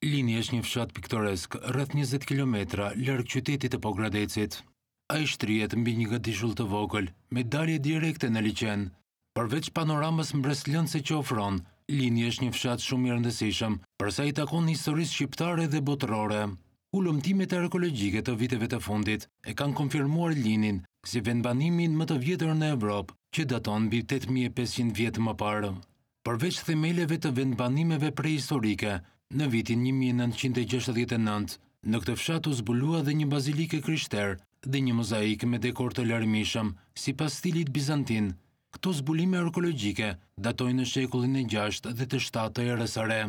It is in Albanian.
Lini është një fshat piktoresk rreth 20 kilometra larg qytetit të Pogradecit. Ai shtrihet mbi një gadishull të vogël me dalje direkte në liqen. Përveç panoramës mbresëlënëse që ofron, Lini është një fshat shumë i rëndësishëm për sa i takon historisë shqiptare dhe botërore. Hulumtimet arkeologjike të viteve të fundit e kanë konfirmuar Linin si vendbanimin më të vjetër në Evropë, që daton mbi 8500 vjet më parë. Përveç themeleve të vendbanimeve prehistorike, në vitin 1969, në këtë fshat u zbulua dhe një bazilikë e krishterë dhe një mozaik me dekor të larmishëm, sipas stilit bizantin. Këto zbulime arkeologjike datojnë në shekullin e gjashtë dhe të shtatë të erës së re.